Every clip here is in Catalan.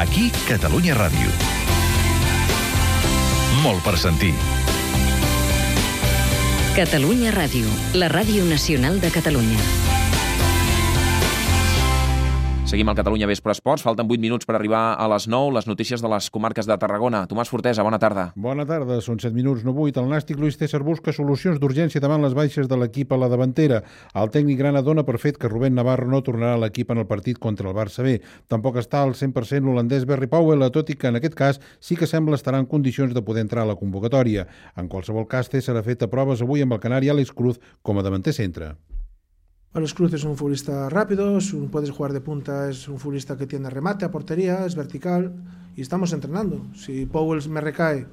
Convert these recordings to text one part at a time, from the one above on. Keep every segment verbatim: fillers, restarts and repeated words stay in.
Aquí, Catalunya Ràdio. Molt per sentir. Catalunya Ràdio, la ràdio nacional de Catalunya. Seguim al Catalunya Vespre Esports. Falten vuit minuts per arribar a les nou. Les notícies de les comarques de Tarragona. Tomàs Fortesa, bona tarda. Bona tarda. Són set minuts, no vuit. El nàstic Luis César busca solucions d'urgència davant les baixes de l'equip a la davantera. El tècnic grana dona per fet que Rubén Navarro no tornarà a l'equip en el partit contra el Barça B. Tampoc està al cent per cent l'holandès Barry Powell, tot i que en aquest cas sí que sembla estar en condicions de poder entrar a la convocatòria. En qualsevol cas, César ha fet proves avui amb el canari Alex Cruz com a davanter centre. Alex Cruz es un futbolista rápido, es un, puedes jugar de punta, es un futbolista que tiene remate a portería, es vertical y estamos entrenando. Si Powell me recae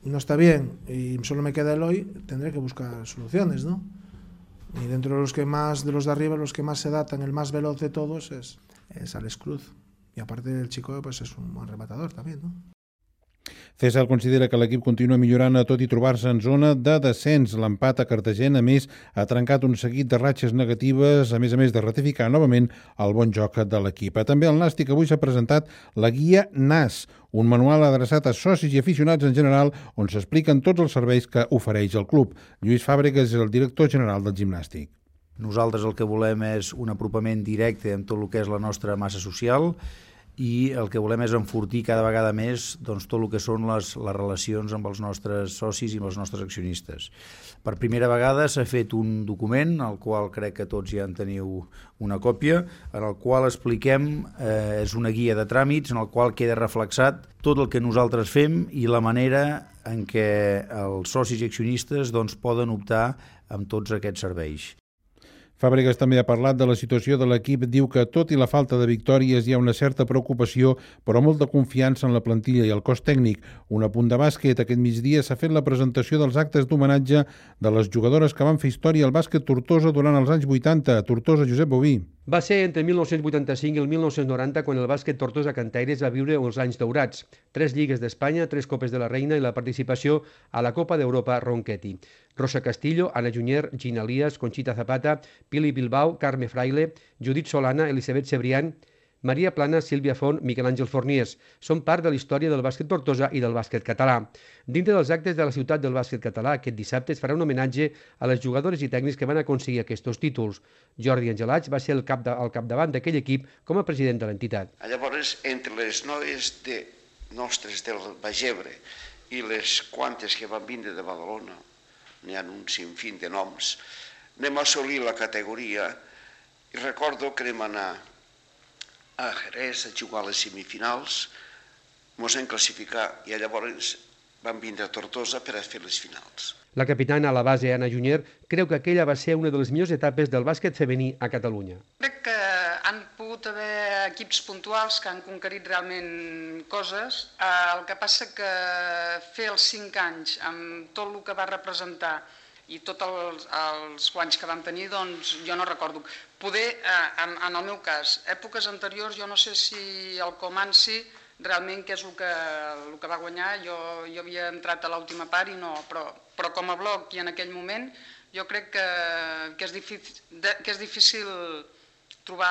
y no está bien y solo me queda Eloy, tendré que buscar soluciones, ¿no? Y dentro de los que más, de los de arriba, los que más se datan, el más veloz de todos es, es Alex Cruz. Y aparte el chico pues es un buen rematador también, ¿no? César considera que l'equip continua millorant a tot i trobar-se en zona de descens. L'empat a Cartagena, a més, ha trencat un seguit de ratxes negatives, a més a més de ratificar novament el bon joc de l'equip. També al Nàstic avui s'ha presentat la guia N A S, un manual adreçat a socis i aficionats en general on s'expliquen tots els serveis que ofereix el club. Lluís Fàbregas és el director general del gimnàstic. Nosaltres el que volem és un apropament directe amb tot el que és la nostra massa social i el que volem és enfortir cada vegada més doncs, tot el que són les, les relacions amb els nostres socis i amb els nostres accionistes. Per primera vegada s'ha fet un document, al qual crec que tots ja en teniu una còpia, en el qual expliquem, eh, és una guia de tràmits, en el qual queda reflexat tot el que nosaltres fem i la manera en què els socis i accionistes doncs, poden optar amb tots aquests serveis. Fàbregas també ha parlat de la situació de l'equip. Diu que, tot i la falta de victòries, hi ha una certa preocupació, però molta confiança en la plantilla i el cos tècnic. Un apunt de bàsquet. Aquest migdia s'ha fet la presentació dels actes d'homenatge de les jugadores que van fer història al bàsquet Tortosa durant els anys vuitanta. Tortosa, Josep Boví. Va ser entre mil nou-cents vuitanta-cinc i el mil nou-cents noranta quan el bàsquet Tortosa Cantaires va viure els anys daurats. Tres lligues d'Espanya, tres copes de la Reina i la participació a la Copa d'Europa Ronchetti. Rosa Castillo, Ana Junyer, Gina Lías, Conxita Zapata, Pili Bilbao, Carme Fraile, Judit Solana, Elisabet Cebrián, Maria Plana, Sílvia Font, Miquel Àngel Forniers. Són part de la història del bàsquet Tortosa i del bàsquet català. Dintre dels actes de la ciutat del bàsquet català, aquest dissabte es farà un homenatge a les jugadores i tècnics que van aconseguir aquests títols. Jordi Angelats va ser el cap de, al capdavant d'aquell equip com a president de l'entitat. Llavors, entre les noies de nostres del Bagebre i les quantes que van vindre de Badalona, n'hi ha un sinfín de noms, anem a assolir la categoria i recordo que anem a anar a Jerez a jugar a les semifinals, ens vam classificar i llavors vam vindre a Tortosa per a fer les finals. La capitana a la base, Ana Junyer, creu que aquella va ser una de les millors etapes del bàsquet femení a Catalunya. Crec que han pogut haver equips puntuals que han conquerit realment coses. El que passa que fer els cinc anys amb tot el que va representar i tots els, els guanys que vam tenir, doncs jo no recordo. Poder, eh, en, en el meu cas, èpoques anteriors, jo no sé si el Comanci realment què és el que, el que va guanyar, jo, jo havia entrat a l'última part i no, però, però com a bloc i en aquell moment jo crec que, que, és, difícil, que és difícil trobar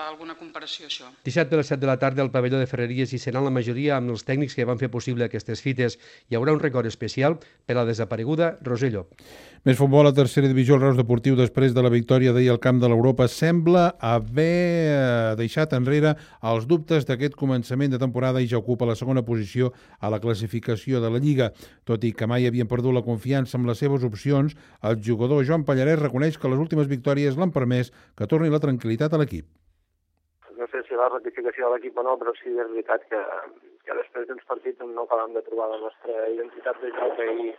alguna comparació, això. Dissabte a les set de la tarda al pavelló de Ferreries hi seran la majoria amb els tècnics que van fer possible aquestes fites. Hi haurà un record especial per a la desapareguda Roser Llop. Més futbol a tercera divisió. El Reus Deportiu, després de la victòria d'ahir al camp de l'Europa, sembla haver deixat enrere els dubtes d'aquest començament de temporada i ja ocupa la segona posició a la classificació de la Lliga. Tot i que mai havien perdut la confiança amb les seves opcions, el jugador Joan Pallarès reconeix que les últimes victòries l'han permès que torni la tranquil·litat a l'equip. No sé si la ratificació de l'equip o no, però sí que és veritat que, que després d'uns partits no acabem de trobar la nostra identitat de joc i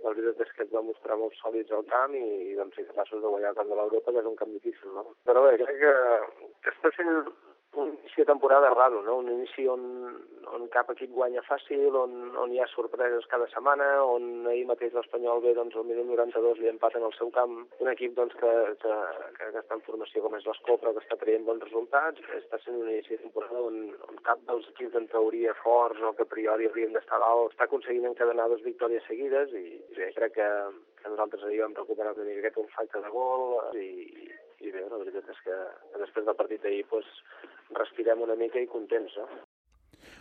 la veritat és que ens va mostrar molt sòlids al camp i, i vam ser capaços de guanyar el camp de l'Europa, que és un camp difícil, no? Però bé, crec que, que està sent un inici de temporada raro, no? Un inici on, on cap equip guanya fàcil, on, on hi ha sorpreses cada setmana, on ahir mateix l'Espanyol ve doncs, al minut noranta-dos li empaten al seu camp. Un equip doncs, que, que, que està en formació com és l'Escó, però que està traient bons resultats. Està sent un inici de temporada on, on cap dels equips en teoria forts o que a priori haurien d'estar dalt està aconseguint encadenar dues victòries seguides i bé, crec que, que nosaltres ahir vam recuperar una miqueta un facte de gol i, i bé, la veritat és que després del partit d'ahir pues, respirem una mica i contents, no?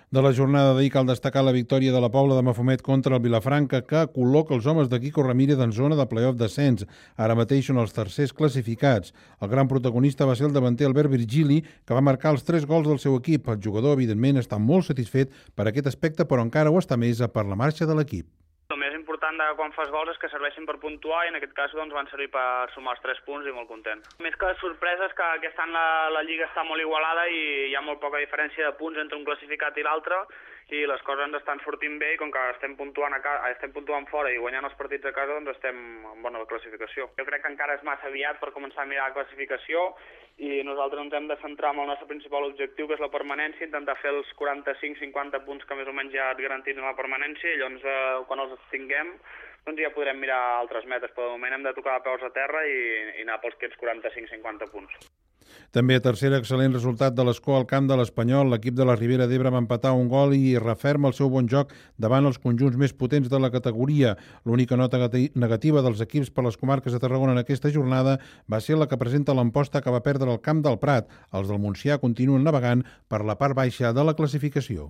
De la jornada d'ahir cal destacar la victòria de la Pobla de Mafumet contra el Vilafranca, que col·loca els homes de Quico Ramírez en zona de play-off descens. Ara mateix són els tercers classificats. El gran protagonista va ser el davanter Albert Virgili, que va marcar els tres gols del seu equip. El jugador, evidentment, està molt satisfet per aquest aspecte, però encara ho està més per la marxa de l'equip. El més important de quan fas gols és que serveixin per puntuar i en aquest cas doncs, van servir per sumar els tres punts i molt content. Més que les sorpreses, que aquest any la, la Lliga està molt igualada i hi ha molt poca diferència de punts entre un classificat i l'altre i les coses ens estan sortint bé i com que estem puntuant, a casa, estem puntuant fora i guanyant els partits a casa doncs estem en bona classificació. Jo crec que encara és massa aviat per començar a mirar la classificació i nosaltres ens hem de centrar en el nostre principal objectiu, que és la permanència, intentar fer els quaranta-cinc cinquanta punts que més o menys ja et garantitzen la permanència i llavors eh, quan els tinguem doncs ja podrem mirar altres metes, però de moment hem de tocar de peus a terra i, i anar pels aquests quaranta-cinc cinquanta punts. També a tercera excel·lent resultat de l'Escó al camp de l'Espanyol. L'equip de la Ribera d'Ebre va empatar un gol i referma el seu bon joc davant els conjunts més potents de la categoria. L'única nota negativa dels equips per les comarques de Tarragona en aquesta jornada va ser la que presenta l'Amposta, que va perdre el camp del Prat. Els del Montsià continuen navegant per la part baixa de la classificació.